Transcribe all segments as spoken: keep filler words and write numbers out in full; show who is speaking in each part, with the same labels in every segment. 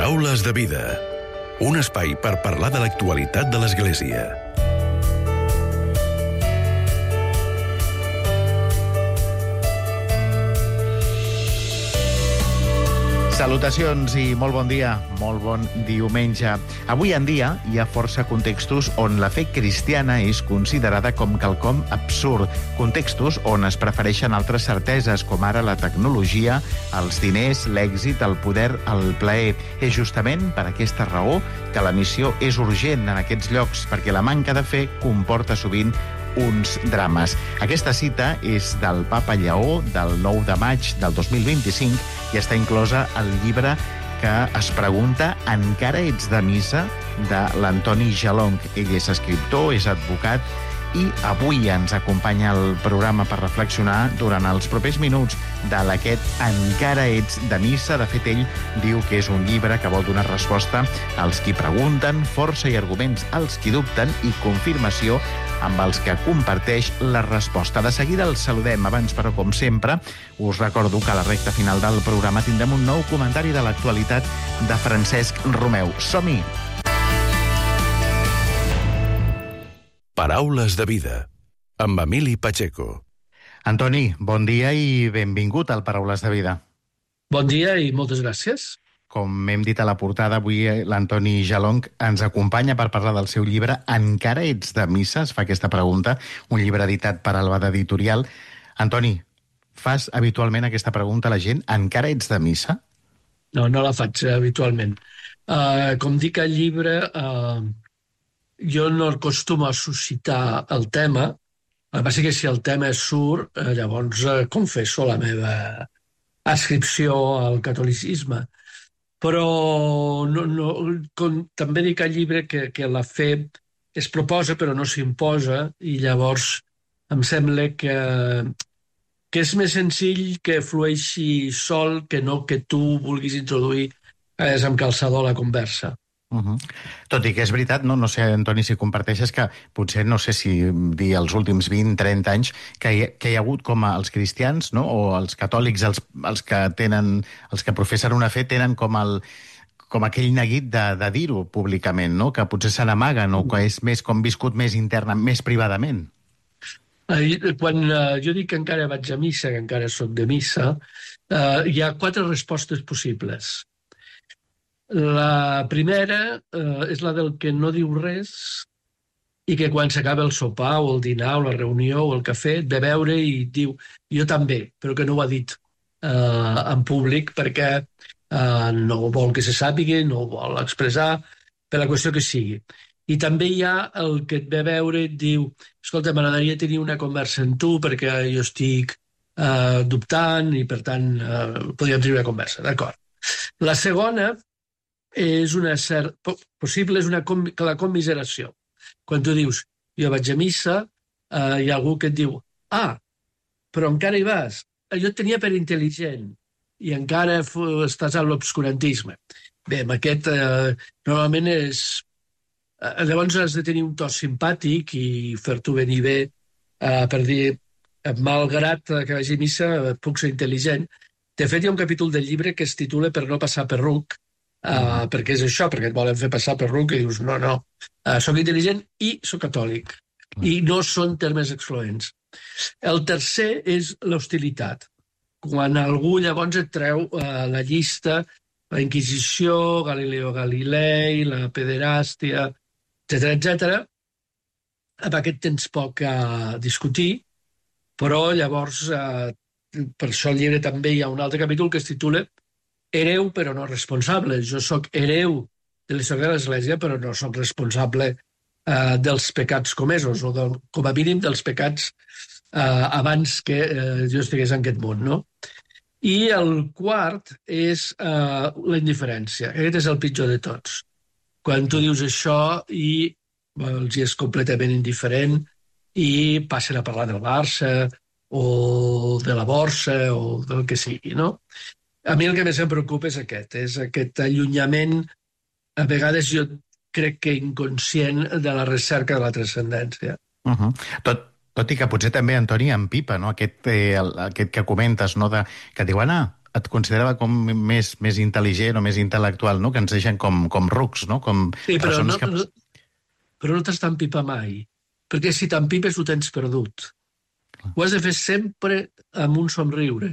Speaker 1: Paraules de vida. Un espai per parlar de l'actualitat de l'Església.
Speaker 2: Salutacions i molt bon dia, molt bon diumenge. Avui en dia hi ha força contextos on la fe cristiana és considerada com quelcom absurd. Contextos on es prefereixen altres certeses, com ara la tecnologia, els diners, l'èxit, el poder, el plaer. És justament per aquesta raó que la missió és urgent en aquests llocs, perquè la manca de fe comporta sovint uns drames. Aquesta cita és del Papa Lleó del nou de maig del dos mil vint-i-cinc i està inclosa al llibre que es pregunta Encara ets de missa? De l'Antoni Jalong. Ell és escriptor, és advocat i avui ens acompanya al programa per reflexionar durant els propers minuts de l'aquest Encara ets de missa. De fet, ell diu que és un llibre que vol donar resposta als qui pregunten, força i arguments als qui dubten i confirmació amb els que comparteix la resposta. De seguida els saludem. Abans, però, com sempre, us recordo que a la recta final del programa tindrem un nou comentari de l'actualitat de Francesc Romeu. Som-hi!
Speaker 1: Paraules de vida, amb Emili Pacheco.
Speaker 2: Antoni, bon dia i benvingut al Paraules de vida.
Speaker 3: Bon dia i moltes gràcies.
Speaker 2: Com hem dit a la portada, avui l'Antoni Jalong ens acompanya per parlar del seu llibre Encara ets de missa? Es fa aquesta pregunta, un llibre editat per Albada Editorial. Antoni, fas habitualment aquesta pregunta a la gent? Encara ets de missa?
Speaker 3: No, no la faig habitualment. Uh, com dic al llibre, uh, jo no acostumo a suscitar el tema. El que passa que si el tema surt, uh, llavors uh, confesso la meva adscripció al catolicisme. Però no, no, com, també dic al llibre que, que la fe es proposa però no s'imposa i llavors em sembla que, que és més senzill que flueixi sol que no que tu vulguis introduir és amb calçador a la conversa.
Speaker 2: Uh-huh. Tot i que és veritat, no, no sé, Antoni, si comparteixes que potser, no sé si dir els últims vint trenta anys, que hi, que hi ha hagut com a els cristians, no? O els catòlics, els, els que tenen, els que professen una fe, tenen com el com aquell neguit de, de dir-ho públicament, no? Que potser se n'amaguen o que és més com viscut més interna, més privadament.
Speaker 3: Quan uh, jo dic que encara vaig a missa, que encara soc de missa, uh, hi ha quatre respostes possibles. La primera eh, és la del que no diu res i que quan s'acaba el sopar o el dinar o la reunió o el cafè ve veure i diu jo també, però que no ho ha dit eh, en públic perquè eh, no vol que se sàpiga, no ho vol expressar per la qüestió que sigui. I també hi ha el que et ve veure i et diu escolta, m'agradaria tenir una conversa amb tu perquè jo estic eh, dubtant i per tant eh, podríem tenir una conversa, d'acord. La segona és una cert... possible és una com... la commiseració. Quan tu dius, jo vaig a missa, eh, hi ha algú que et diu ah, però encara hi vas. Jo et tenia per intel·ligent i encara estàs a l'obscurantisme. Bé, amb aquest eh, normalment és... Eh, llavors has de tenir un to simpàtic i fer-t'ho venir bé eh, per dir, malgrat que vagi a missa, puc ser intel·ligent. De fet, hi ha un capítol del llibre que es titula Per no passar per ruc, Uh, perquè és això, perquè et volen fer passar per ruc i dius, no, no, uh, soc intel·ligent i soc catòlic. I no són termes excloents. El tercer és l'hostilitat. Quan algú llavors et treu uh, la llista, la Inquisició, Galileo Galilei, la pederàstia, etcètera, etcètera, amb aquest tens poc a discutir, però llavors, uh, per això al llibre també hi ha un altre capítol que es titula hereu però no responsable. Jo sóc hereu de l'història de l'Església però no sóc responsable eh, dels pecats comesos o del, com a mínim dels pecats eh, abans que eh, jo estigués en aquest món, no? I el quart és eh, la indiferència. Aquest és el pitjor de tots. Quan tu dius això i bueno, els és completament indiferent i passen a parlar del Barça o de la borsa o del que sigui, no? A mi el que més em preocupa és aquest, és aquest allunyament, a vegades jo crec que inconscient, de la recerca de la transcendència.
Speaker 2: Uh-huh. Tot, tot i que potser també, Antoni, empipa, no? Aquest, eh, el, aquest que comentes, no? De, que diuen, ah, et considerava com més, més intel·ligent o més intel·lectual, no? Que ens deixen com, com rucs, no? Com
Speaker 3: Sí, però no,
Speaker 2: que...
Speaker 3: no, però no t'has d'empipar mai, perquè si t'empipes ho tens perdut. Ho has de fer sempre amb un somriure.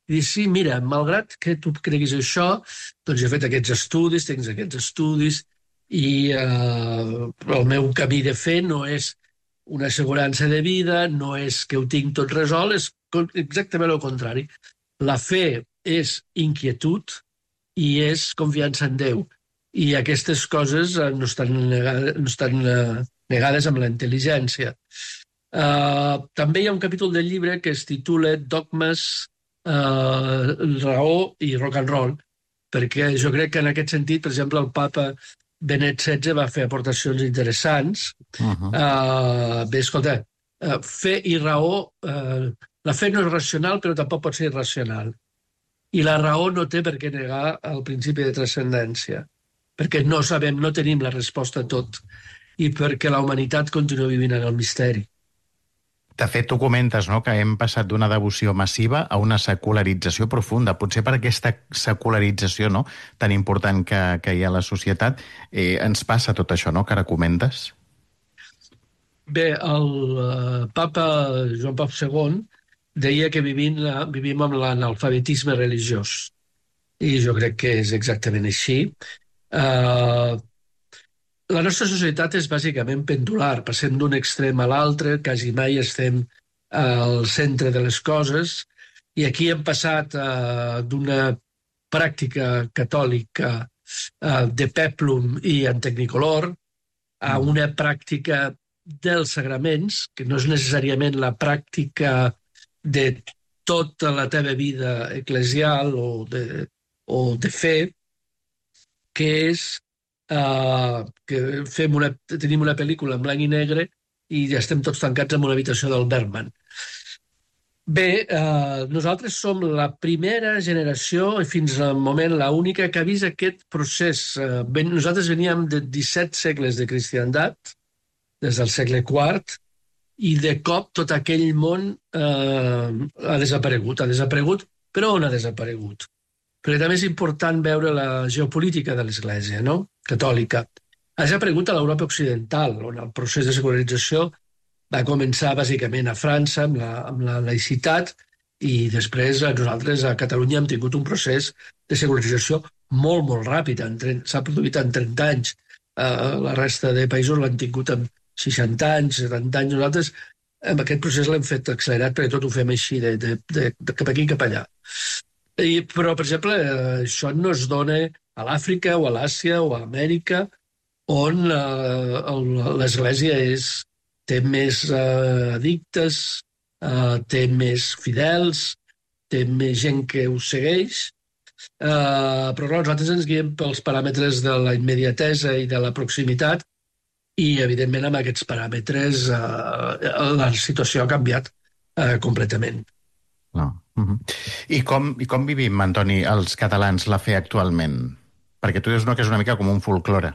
Speaker 3: I dir, sí, mira, malgrat que tu creguis això, doncs he fet aquests estudis, tens aquests estudis, i eh, el meu camí de fer no és una assegurança de vida, no és que ho tinc tot resolt, és exactament el contrari. La fe és inquietud i és confiança en Déu. I aquestes coses no estan negades, no estan negades amb la intel·ligència. Uh, també hi ha un capítol del llibre que es titula Dogmes, uh, raó i rock and roll, perquè jo crec que en aquest sentit, per exemple, el papa Benet setze va fer aportacions interessants. Uh-huh. uh, bé, escolta, uh, fe i raó, uh, la fe no és racional, però tampoc pot ser irracional. I la raó no té per què negar el principi de transcendència, perquè no sabem, no tenim la resposta a tot, i perquè la humanitat continua vivint en el misteri.
Speaker 2: De fet, tu comentes, no?, que hem passat d'una devoció massiva a una secularització profunda. Potser per aquesta secularització, no?, tan important que, que hi ha a la societat, eh, ens passa tot això, no?, que ara comentes?
Speaker 3: Bé, el uh, papa Joan Pau segon deia que vivim, uh, vivim amb l'analfabetisme religiós. I jo crec que és exactament així. Uh, La nostra societat és bàsicament pendular, passem d'un extrem a l'altre, quasi mai estem al centre de les coses, i aquí hem passat uh, d'una pràctica catòlica uh, de peplum i en tecnicolor a una pràctica dels sagraments, que no és necessàriament la pràctica de tota la teva vida eclesial o de, o de fe, que és Uh, que fem una, tenim una pel·lícula en blanc i negre i ja estem tots tancats en una habitació del Bergman. Bé, uh, nosaltres som la primera generació, i fins al moment la única, que ha vist aquest procés. Uh, ben, nosaltres veníem de disset segles de cristiandat, des del segle quart, i de cop tot aquell món uh, ha desaparegut. Ha desaparegut, però on ha desaparegut? Perquè també és important veure la geopolítica de l'Església, no?, catòlica. Ha desaparegut a l'Europa occidental, on el procés de secularització va començar bàsicament a França amb la, amb la laïcitat, i després nosaltres a Catalunya hem tingut un procés de secularització molt, molt ràpid. S'ha produït en trenta anys. Uh, la resta de països l'han tingut en seixanta anys, setanta anys. Nosaltres amb aquest procés l'hem fet accelerat perquè tot ho fem així, de, de, de, de cap aquí cap allà. I, però, per exemple, això no es dona a l'Àfrica o a l'Àsia o a Amèrica, on uh, l'Església és, té més uh, addictes, uh, té més fidels, té més gent que ho segueix, uh, però clar, nosaltres ens guiem pels paràmetres de la immediatesa i de la proximitat, i, evidentment, amb aquests paràmetres uh, la situació ha canviat uh, completament.
Speaker 2: No. Uh-huh. I, com, I com vivim, Antoni, els catalans la fe actualment? Perquè tu dius no, que és una mica com un folklore.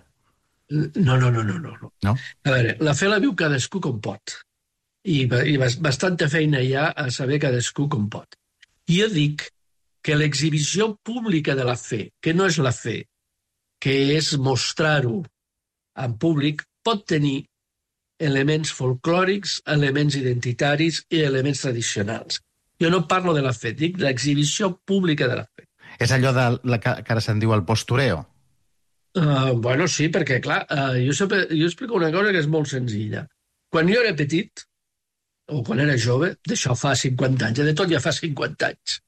Speaker 3: No, no, no, no, no.
Speaker 2: No?
Speaker 3: A veure, la fe la viu cadascú com pot. I, i bastanta feina hi ha a saber cadascú com pot. I jo dic que l'exhibició pública de la fe, que no és la fe, que és mostrar-ho en públic, pot tenir elements folclòrics, elements identitaris i elements tradicionals. Jo no parlo de la fe, dic l'exhibició pública de la fe.
Speaker 2: És allò de la que, que ara se'n diu el postureo?
Speaker 3: Uh, bueno, sí, perquè, clar, uh, jo, sempre, jo explico una cosa que és molt senzilla. Quan jo era petit, o quan era jove, d'això fa cinquanta anys, de tot ja fa cinquanta anys,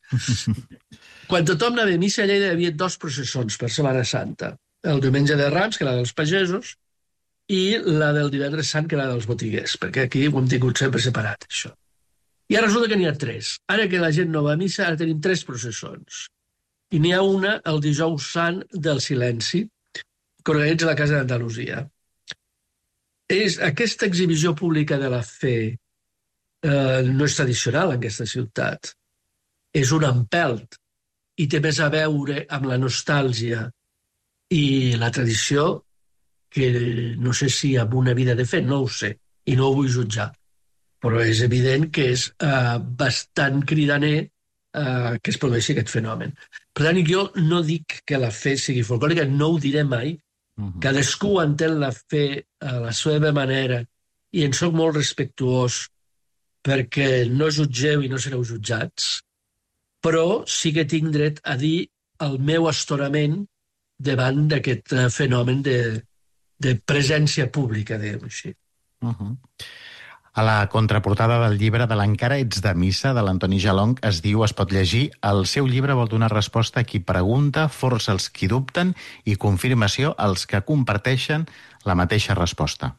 Speaker 3: quan tothom anava a missa, allà hi havia dos processons per Setmana Santa. El diumenge de Rams, que era dels pagesos, i la del divendres sant, que era dels botiguers, perquè aquí ho hem tingut sempre separat, això. I ara resulta que n'hi ha tres. Ara que la gent no va a missa, ara tenim tres processons. I n'hi ha una, el dijous sant del silenci, que organitza la Casa d'Andalusia. És, aquesta exhibició pública de la fe eh, no és tradicional en aquesta ciutat. És un empelt i té més a veure amb la nostàlgia i la tradició que no sé si amb una vida de fe, no ho sé, i no ho vull jutjar. Però és evident que és eh, bastant cridaner eh, que es produeixi aquest fenomen. Per tant, jo no dic que la fe sigui folclòrica, no ho diré mai. Uh-huh. Cadascú entén la fe a la seva manera i en soc molt respectuós perquè no jutgeu i no sereu jutjats, però sí que tinc dret a dir el meu astorament davant d'aquest fenomen de, de presència pública, diguem així.
Speaker 2: Uh-huh. A la contraportada del llibre de l'Encara ets de missa, de l'Antoni Jalong, es diu, es pot llegir, el seu llibre vol donar resposta a qui pregunta, força els qui dubten i confirmació als que comparteixen la mateixa resposta.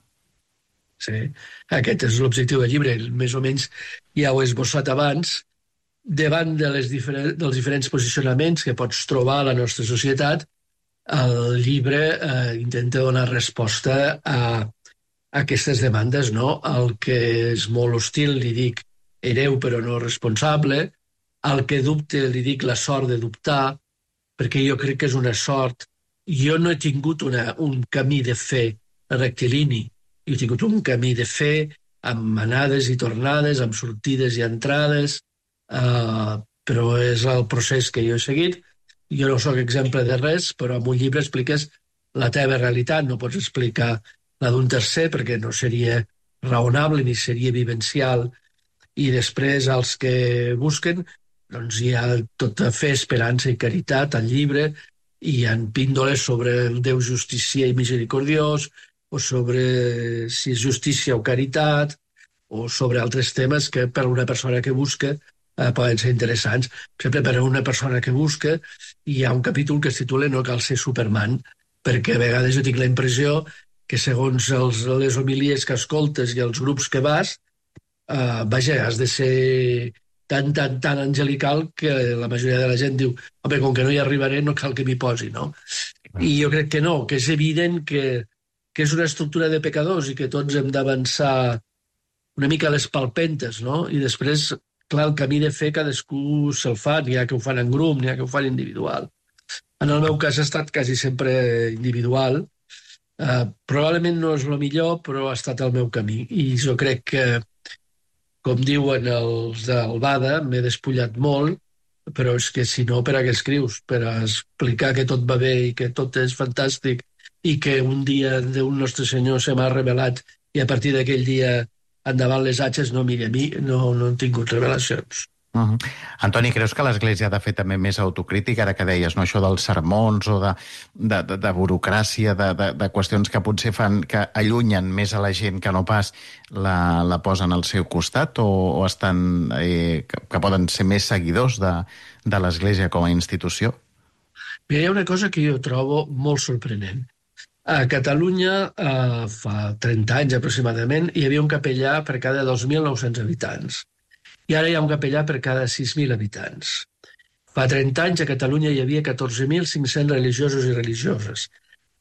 Speaker 3: Sí, aquest és l'objectiu del llibre, més o menys ja ho he esbossat abans, davant de les diferents, dels diferents posicionaments que pots trobar a la nostra societat, el llibre eh, intenta donar resposta a aquestes demandes, no? Al que és molt hostil li dic hereu però no responsable, al que dubte li dic la sort de dubtar, perquè jo crec que és una sort. Jo no he tingut una, un camí de fe rectilini, jo he tingut un camí de fe amb anades i tornades, amb sortides i entrades, uh, però és el procés que jo he seguit. Jo no sóc exemple de res, però en un llibre expliques la teva realitat, no pots explicar la d'un tercer, perquè no seria raonable ni seria vivencial. I després, els que busquen, doncs hi ha tota fe, esperança i caritat al llibre, i hi ha píndoles sobre el Déu justicier i misericordiós, o sobre si és justícia o caritat, o sobre altres temes que per a una persona que busca eh, poden ser interessants. Per exemple, per a una persona que busca hi ha un capítol que es titula No cal ser Superman, perquè a vegades jo tinc la impressió que segons els, les homilies que escoltes i els grups que vas, eh, vaja, has de ser tan, tan, tan angelical que la majoria de la gent diu home, com que no hi arribaré, no cal que m'hi posi, no? I jo crec que no, que és evident que, que és una estructura de pecadors i que tots hem d'avançar una mica a les palpentes, no? I després, clar, el camí de fer cadascú se'l fa, n'hi ha que ho fan en grup, n'hi ha que ho fan individual. En el meu cas ha estat quasi sempre individual. Uh, probablement no és el millor, però ha estat el meu camí. I jo crec que, com diuen els del Bada, m'he despullat molt, però és que si no, per a què escrius? Per a explicar que tot va bé i que tot és fantàstic i que un dia d'un Nostre Senyor se m'ha revelat i a partir d'aquell dia endavant les atxes, no, mira, a mi no, no han tingut revelacions.
Speaker 2: Uh-huh. Antoni, creus que l'Església ha de fer també més autocrítica, ara que deies, no, això dels sermons o de, de, de, de burocràcia, de, de, de qüestions que potser fan que allunyen més a la gent que no pas la, la posen al seu costat, o, o estan, eh, que, que poden ser més seguidors de, de l'Església com a institució?
Speaker 3: Mira, hi ha una cosa que jo trobo molt sorprenent. A Catalunya, eh, fa trenta anys aproximadament, hi havia un capellà per cada dos mil nou-cents habitants. I ara hi ha un capellà per cada sis mil habitants. Fa trenta anys a Catalunya hi havia catorze mil cinc-cents religiosos i religioses.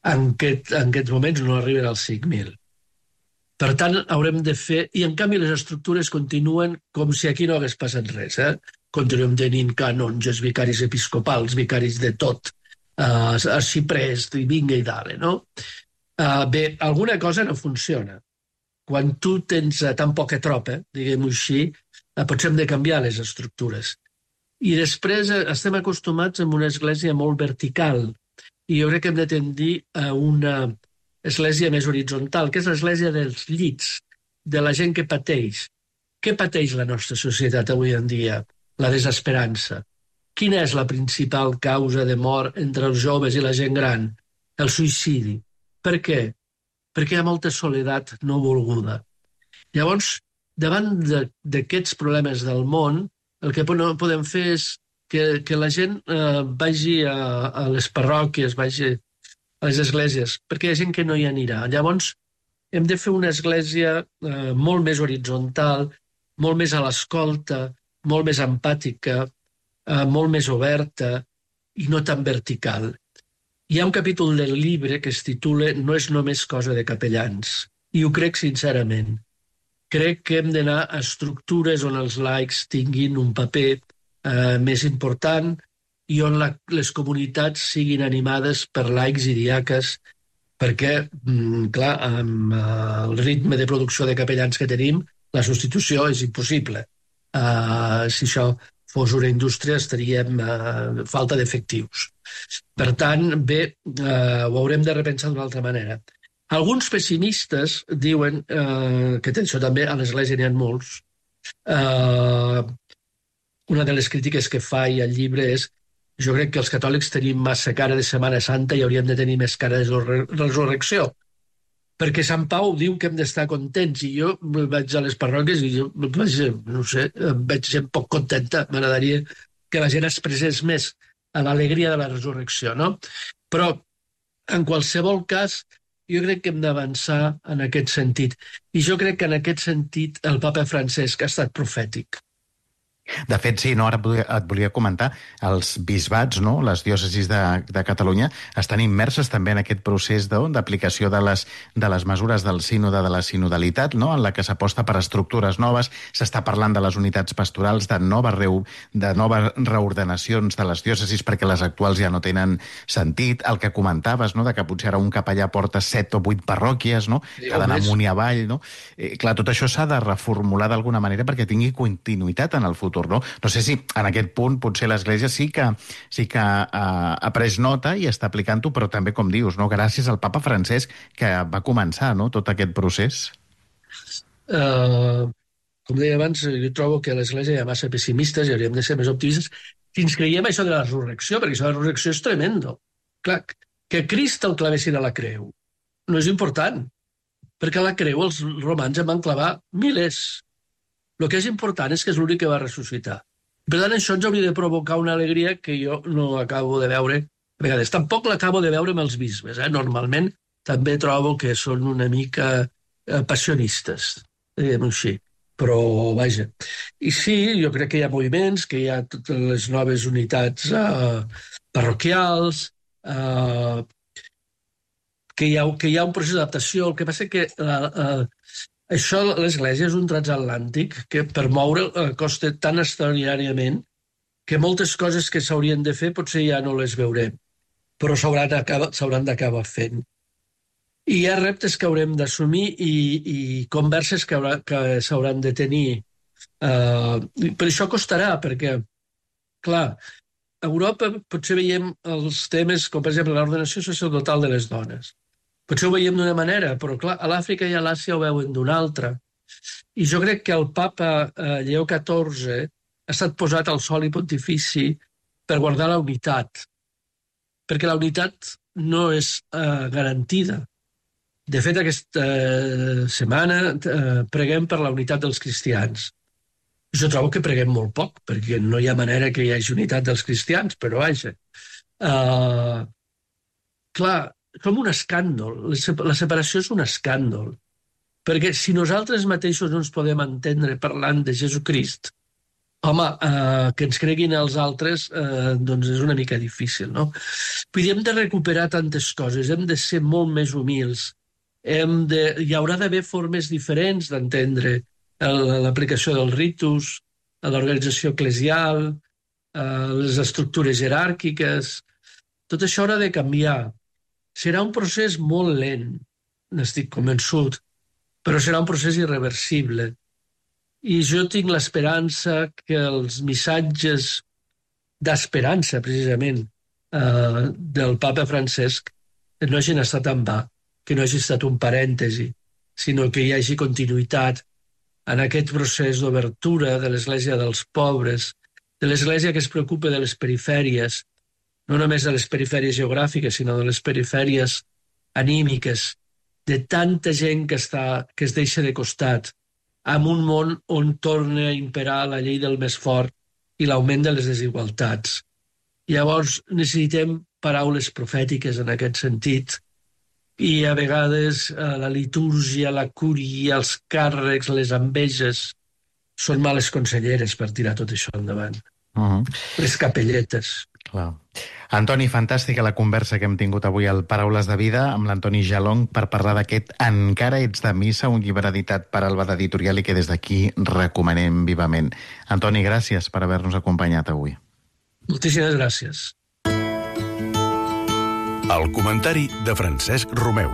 Speaker 3: En, aquest, en aquests moments no arriben als cinc mil. Per tant, haurem de fer... I en canvi les estructures continuen com si aquí no hagués passat res. Eh? Continuem tenint canonges, vicaris episcopals, vicaris de tot, uh, arxiprés, i vinga i dale, no? Uh, bé, alguna cosa no funciona. Quan tu tens uh, tan poca tropa, diguem-ho així, potser hem de canviar les estructures. I després estem acostumats a una església molt vertical i jo crec que hem de tendir a una església més horitzontal, que és l'església dels llits, de la gent que pateix. Què pateix la nostra societat avui en dia? La desesperança. Quina és la principal causa de mort entre els joves i la gent gran? El suïcidi. Per què? Perquè hi ha molta soledat no volguda. Llavors, davant d'aquests problemes del món, el que podem fer és que, que la gent eh, vagi a, a les parròquies, vagi a les esglésies, perquè hi ha gent que no hi anirà. Llavors, hem de fer una església eh, molt més horitzontal, molt més a l'escolta, molt més empàtica, eh, molt més oberta i no tan vertical. Hi ha un capítol del llibre que es titula No és només cosa de capellans, i ho crec sincerament. Crec que hem d'anar a estructures on els laics tinguin un paper eh, més important i on la, les comunitats siguin animades per laics i diaques, perquè, mm, clar, amb eh, el ritme de producció de capellans que tenim, la substitució és impossible. Uh, si això fos una indústria estaríem a falta d'efectius. Per tant, bé, eh, ho haurem de repensar d'una altra manera. Alguns pessimistes diuen, eh, que això també a l'Església n'hi ha molts, eh, una de les crítiques que fa i al llibre és jo crec que els catòlics tenim massa cara de Setmana Santa i hauríem de tenir més cara de resurrecció. Perquè Sant Pau diu que hem d'estar contents i jo vaig a les parròquies i jo vaig, no sé, veig gent poc contenta. M'agradaria que la gent expressés més a l'alegria de la resurrecció, no? Però, en qualsevol cas, jo crec que hem d'avançar en aquest sentit. I jo crec que en aquest sentit el papa Francesc ha estat profètic.
Speaker 2: De fet, sí, no, ara et volia comentar, els bisbats, no, les diòcesis de, de Catalunya, estan immerses també en aquest procés d'aplicació de, de, les, de les mesures del sínode de la sinodalitat, no, en la que s'aposta per estructures noves, s'està parlant de les unitats pastorals, de noves, reu, de noves reordenacions de les diòcesis perquè les actuals ja no tenen sentit, el que comentaves, no, de que potser ara un capellà porta set o vuit parròquies, no, que ha d'anar amunt i avall, no? Eh, clar, tot això s'ha de reformular d'alguna manera perquè tingui continuïtat en el futur. No? no sé si en aquest punt potser l'Església sí que, sí que uh, ha pres nota i està aplicant-ho, però també, com dius, no? Gràcies al papa Francesc que va començar, no?, tot aquest procés.
Speaker 3: Uh, com deia abans, jo trobo que a l'Església hi ha massa pessimistes i hauríem de ser més optimistes si ens creiem això de la resurrecció, perquè això de la resurrecció és tremendo. Clar, que Crist el clavessin a la creu no és important, perquè a la creu els romans en van clavar milers. El que és important és que és l'únic que va ressuscitar. Per tant, això ens hauria de provocar una alegria que jo no acabo de veure a vegades. Tampoc l'acabo de veure amb els bisbes. Eh? Normalment també trobo que són una mica eh, passionistes, diguem-ho així. Però, vaja. I sí, jo crec que hi ha moviments, que hi ha totes les noves unitats eh, parroquials, eh, que, hi ha, que hi ha un procés d'adaptació. El que passa que la, eh, això, l'Església és un transatlàntic que per moure costa tan extraordinàriament que moltes coses que s'haurien de fer potser ja no les veurem, però s'hauran d'acabar fent. I hi ha reptes que haurem d'assumir i, i converses que, haurà, que s'hauran de tenir. Uh, per això costarà, perquè, clar, a Europa potser veiem els temes, com per exemple l'ordenació sacerdotal de les dones. Potser ho veiem d'una manera, però clar, a l'Àfrica i a l'Àsia ho veuen d'una altra. I jo crec que el papa eh, Lleó catorze ha estat posat al soli pontifici per guardar la unitat, perquè la unitat no és eh, garantida. De fet, aquesta eh, setmana eh, preguem per la unitat dels cristians. Jo trobo que preguem molt poc, perquè no hi ha manera que hi hagi unitat dels cristians, però vaja. Uh, clar, som un escàndol. La separació és un escàndol. Perquè si nosaltres mateixos no ens podem entendre parlant de Jesucrist, home, eh, que ens creguin els altres, eh, doncs és una mica difícil, no? Vull dir, hem de recuperar tantes coses, hem de ser molt més humils, hem de, hi haurà d'haver formes diferents d'entendre l'aplicació dels ritus, l'organització eclesial, eh, les estructures jeràrquiques, tot això haurà de canviar. Serà un procés molt lent, n'estic convençut, però serà un procés irreversible. I jo tinc l'esperança que els missatges d'esperança, precisament, eh, del papa Francesc no hagin estat en va, que no hagi estat un parèntesi, sinó que hi hagi continuïtat en aquest procés d'obertura de l'Església dels pobres, de l'Església que es preocupa de les perifèries, no només de les perifèries geogràfiques, sinó de les perifèries anímiques, de tanta gent que, està, que es deixa de costat, en un món on torna a imperar la llei del més fort i l'augment de les desigualtats. Llavors necessitem paraules profètiques en aquest sentit, i a vegades eh, la litúrgia, la cúria, els càrrecs, les enveges, són males conselleres per tirar tot això endavant. Uh-huh. Les capelletes.
Speaker 2: Clar. Antoni, fantàstica la conversa que hem tingut avui al Paraules de Vida amb l'Antoni Jalong per parlar d'aquest Encara ets de missa, un llibre editat per Alba d'Editorial i que des d'aquí recomanem vivament. Antoni, gràcies per haver-nos acompanyat avui.
Speaker 3: Moltíssimes gràcies.
Speaker 1: El comentari de Francesc Romeu.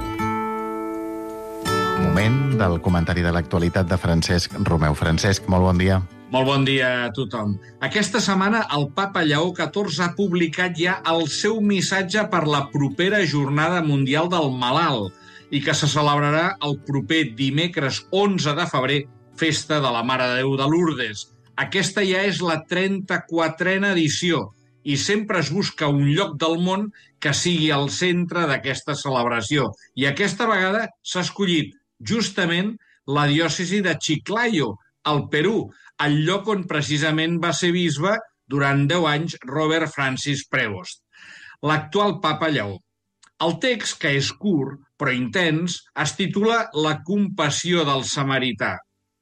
Speaker 2: moment del comentari de l'actualitat de Francesc Romeu. Francesc, molt bon dia.
Speaker 4: Molt bon dia a tothom. Aquesta setmana el papa Lleó catorze ha publicat ja el seu missatge per la propera Jornada Mundial del Malalt i que se celebrarà el proper dimecres onze de febrer, festa de la Mare de Déu de Lourdes. Aquesta ja és la trenta-quatrena edició i sempre es busca un lloc del món que sigui el centre d'aquesta celebració. I aquesta vegada s'ha escollit justament la diòcesi de Chiclayo, al Perú, el lloc on precisament va ser bisbe durant deu anys Robert Francis Prevost, l'actual papa Lleó. El text, que és curt però intens, es titula La compassió del samarità,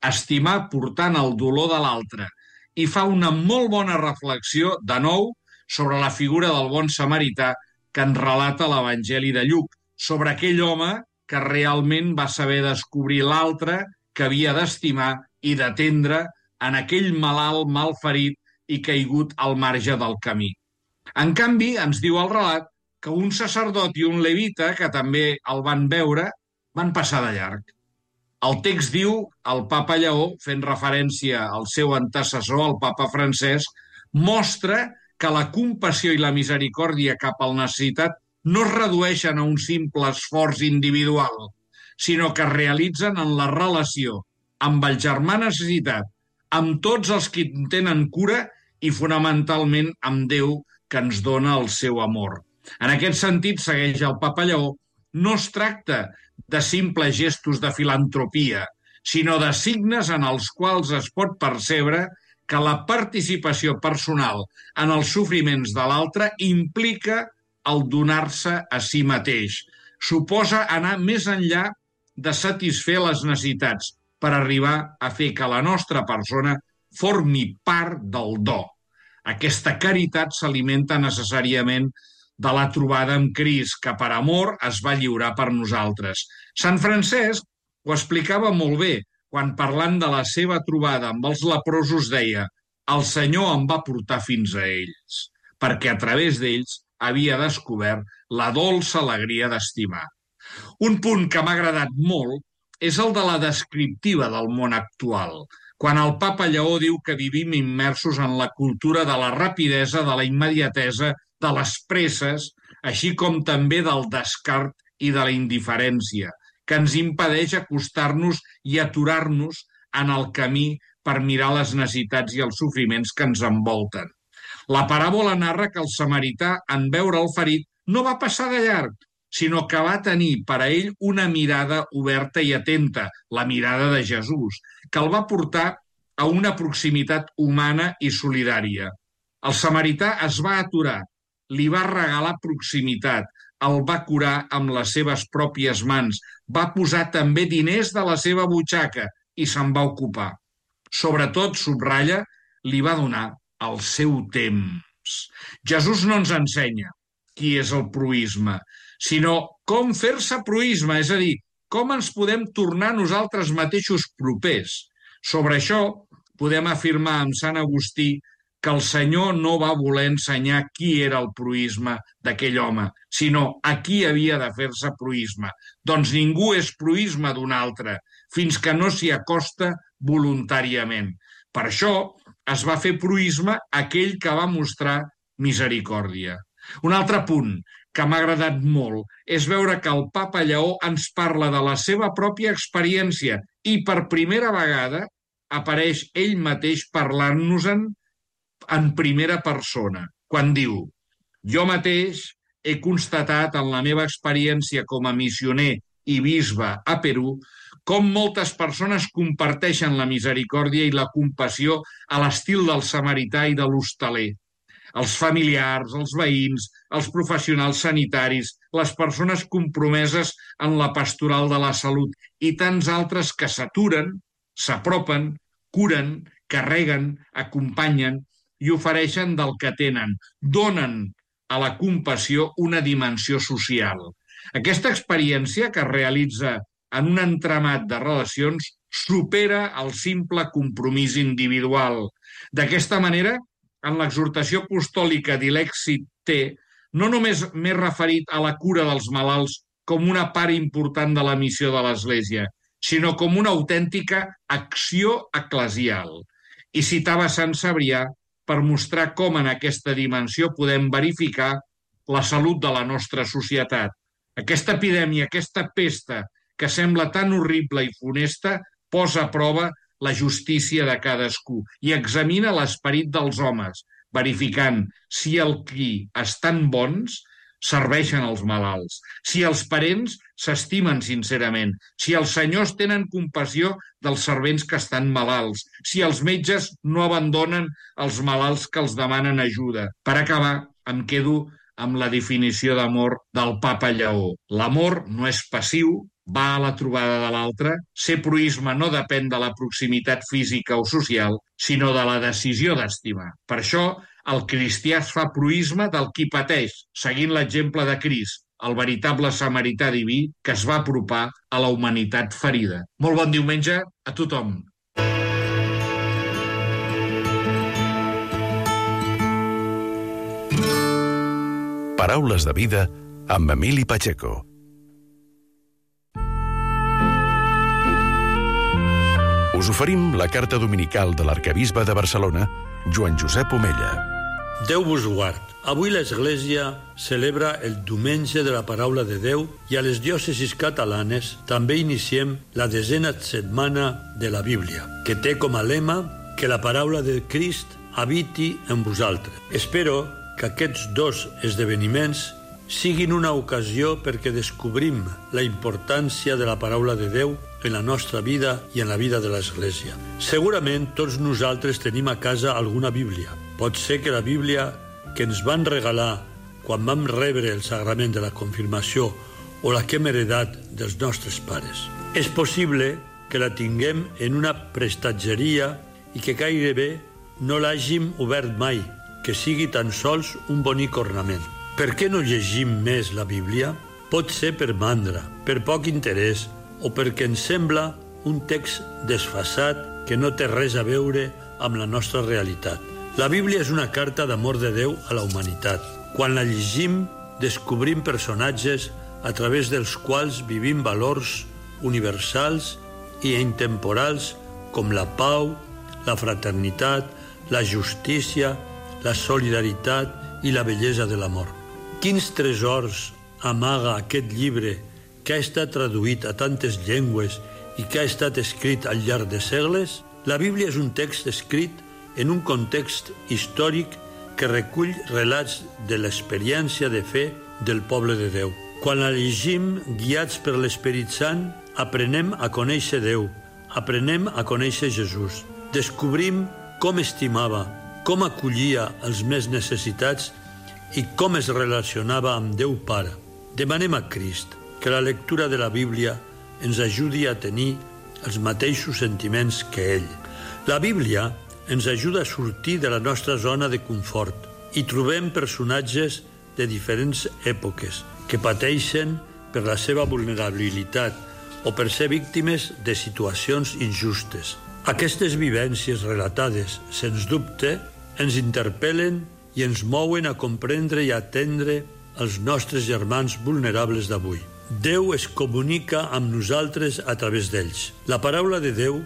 Speaker 4: estimar portant el dolor de l'altre, i fa una molt bona reflexió, de nou, sobre la figura del bon samarità que ens relata l'Evangeli de Lluc, sobre aquell home que realment va saber descobrir l'altre que havia d'estimar i d'atendre en aquell malalt malferit i caigut al marge del camí. En canvi, ens diu el relat que un sacerdot i un levita, que també el van veure, van passar de llarg. El text diu, el papa Lleó, fent referència al seu antecessor, el papa Francesc, mostra que la compassió i la misericòrdia cap al necessitat no es redueixen a un simple esforç individual, sinó que es realitzen en la relació amb el germà necessitat, amb tots els que en tenen cura i fonamentalment amb Déu que ens dona el seu amor. En aquest sentit, segueix el papa Lleó, no es tracta de simples gestos de filantropia, sinó de signes en els quals es pot percebre que la participació personal en els sofriments de l'altre implica el donar-se a si mateix. Suposa anar més enllà de satisfer les necessitats per arribar a fer que la nostra persona formi part del do. Aquesta caritat s'alimenta necessàriament de la trobada amb Crist, que per amor es va lliurar per nosaltres. Sant Francesc ho explicava molt bé, quan parlant de la seva trobada amb els leprosos deia «El Senyor em va portar fins a ells», perquè a través d'ells havia descobert la dolça alegria d'estimar. Un punt que m'ha agradat molt és el de la descriptiva del món actual, quan el papa Lleó diu que vivim immersos en la cultura de la rapidesa, de la immediatesa, de les presses, així com també del descart i de la indiferència, que ens impedeix acostar-nos i aturar-nos en el camí per mirar les necessitats i els sofriments que ens envolten. La paràbola narra que el samarità, en veure el ferit, no va passar de llarg, sinó que va tenir per a ell una mirada oberta i atenta, la mirada de Jesús, que el va portar a una proximitat humana i solidària. El samarità es va aturar, li va regalar proximitat, el va curar amb les seves pròpies mans, va posar també diners de la seva butxaca i se'n va ocupar. Sobretot, subratlla, li va donar el seu temps. Jesús no ens ensenya qui és el proïsme, sinó com fer-se proïsme, és a dir, com ens podem tornar nosaltres mateixos propers. Sobre això podem afirmar amb Sant Agustí que el Senyor no va voler ensenyar qui era el proïsme d'aquell home, sinó a qui havia de fer-se proïsme. Doncs ningú és proïsme d'un altre, fins que no s'hi acosta voluntàriament. Per això es va fer proïsme aquell que va mostrar misericòrdia. Un altre punt que m'ha agradat molt és veure que el papa Lleó ens parla de la seva pròpia experiència i per primera vegada apareix ell mateix parlant-nos-en en primera persona, quan diu «Jo mateix he constatat en la meva experiència com a missioner i bisbe a Perú com moltes persones comparteixen la misericòrdia i la compassió a l'estil del samarità i de l'hostaler. Els familiars, els veïns, els professionals sanitaris, les persones compromeses en la pastoral de la salut i tants altres que s'aturen, s'apropen, curen, carreguen, acompanyen i ofereixen del que tenen, donen a la compassió una dimensió social. Aquesta experiència que es realitza en un entramat de relacions supera el simple compromís individual. D'aquesta manera, en l'exhortació apostòlica d'Ilexit T, no només m'he referit a la cura dels malalts com una part important de la missió de l'Església, sinó com una autèntica acció eclesial. I citava Sant Cebrià per mostrar com en aquesta dimensió podem verificar la salut de la nostra societat. Aquesta epidèmia, aquesta pesta, que sembla tan horrible i funesta, posa a prova la justícia de cadascú i examina l'esperit dels homes, verificant si el qui estan bons serveixen els malalts, si els parents s'estimen sincerament, si els senyors tenen compassió dels servents que estan malalts, si els metges no abandonen els malalts que els demanen ajuda. Per acabar, em quedo amb la definició d'amor del papa Lleó. L'amor no és passiu, va a la trobada de l'altre. Ser proïsme no depèn de la proximitat física o social, sinó de la decisió d'estimar. Per això, el cristià es fa proïsme del qui pateix, seguint l'exemple de Crist, el veritable samarità diví que es va apropar a la humanitat ferida. Molt bon diumenge a tothom.
Speaker 1: Paraules de vida amb Emili Pacheco. Us oferim la carta dominical de l'arquebisbe de Barcelona, Joan Josep Omella.
Speaker 5: Déu vos guard. Avui l'Església celebra el Diumenge de la Paraula de Déu i a les diòcesis catalanes també iniciem la desena setmana de la Bíblia, que té com a lema que la paraula de Crist habiti en vosaltres. Espero que aquests dos esdeveniments siguin una ocasió perquè descobrim la importància de la paraula de Déu en la nostra vida i en la vida de l'Església. Segurament tots nosaltres tenim a casa alguna Bíblia. Pot ser que la Bíblia que ens van regalar quan vam rebre el sagrament de la confirmació o la que hem heredat dels nostres pares. És possible que la tinguem en una prestatgeria i que gairebé no l'hàgim obert mai, que sigui tan sols un bonic ornament. Per què no llegim més la Bíblia? Pot ser per mandra, per poc interès o perquè ens sembla un text desfasat que no té res a veure amb la nostra realitat. La Bíblia és una carta d'amor de Déu a la humanitat. Quan la llegim, descobrim personatges a través dels quals vivim valors universals i intemporals com la pau, la fraternitat, la justícia, la solidaritat i la bellesa de l'amor. Quins tresors amaga aquest llibre que ha estat traduït a tantes llengües i que ha estat escrit al llarg de segles? La Bíblia és un text escrit en un context històric que recull relats de l'experiència de fe del poble de Déu. Quan la llegim guiats per l'Esperit Sant, aprenem a conèixer Déu, aprenem a conèixer Jesús. Descobrim com estimava, com acollia els més necessitats i com es relacionava amb Déu Pare. Demanem a Crist que la lectura de la Bíblia ens ajudi a tenir els mateixos sentiments que ell. La Bíblia ens ajuda a sortir de la nostra zona de confort i trobem personatges de diferents èpoques que pateixen per la seva vulnerabilitat o per ser víctimes de situacions injustes. Aquestes vivències relatades, sens dubte, ens interpel·len i ens mouen a comprendre i atendre els nostres germans vulnerables d'avui. Déu es comunica amb nosaltres a través d'ells. La paraula de Déu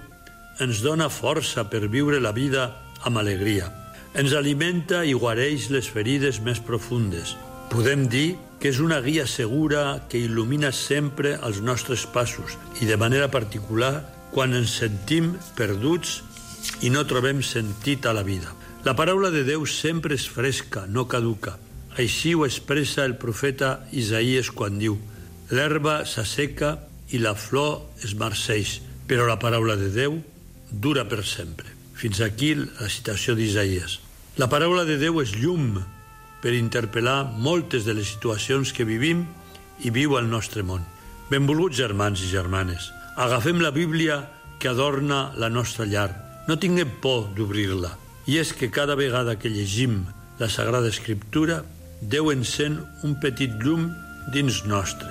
Speaker 5: ens dona força per viure la vida amb alegria. Ens alimenta i guareix les ferides més profundes. Podem dir que és una guia segura que il·lumina sempre els nostres passos i de manera particular quan ens sentim perduts i no trobem sentit a la vida. La paraula de Déu sempre és fresca, no caduca. Així ho expressa el profeta Isaïes quan diu: l'herba s'asseca i la flor es marceix, però la paraula de Déu dura per sempre. Fins aquí la citació d'Isaïes. La paraula de Déu és llum per interpel·lar moltes de les situacions que vivim i viu el nostre món. Benvolguts germans i germanes, agafem la Bíblia que adorna la nostra llar. No tinguem por d'obrir-la. I és que cada vegada que llegim la Sagrada Escriptura, Déu encén un petit llum dins nostre.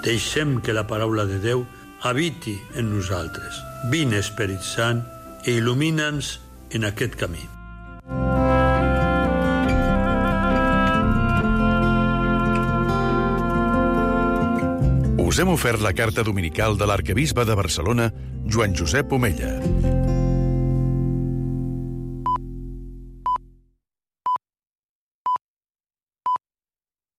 Speaker 5: Deixem que la paraula de Déu habiti en nosaltres. Vine, Esperit Sant, i il·lumina'ns en aquest camí.
Speaker 1: Us Us hem ofert la carta dominical de l'arquebisbe de Barcelona, Joan Josep Omella.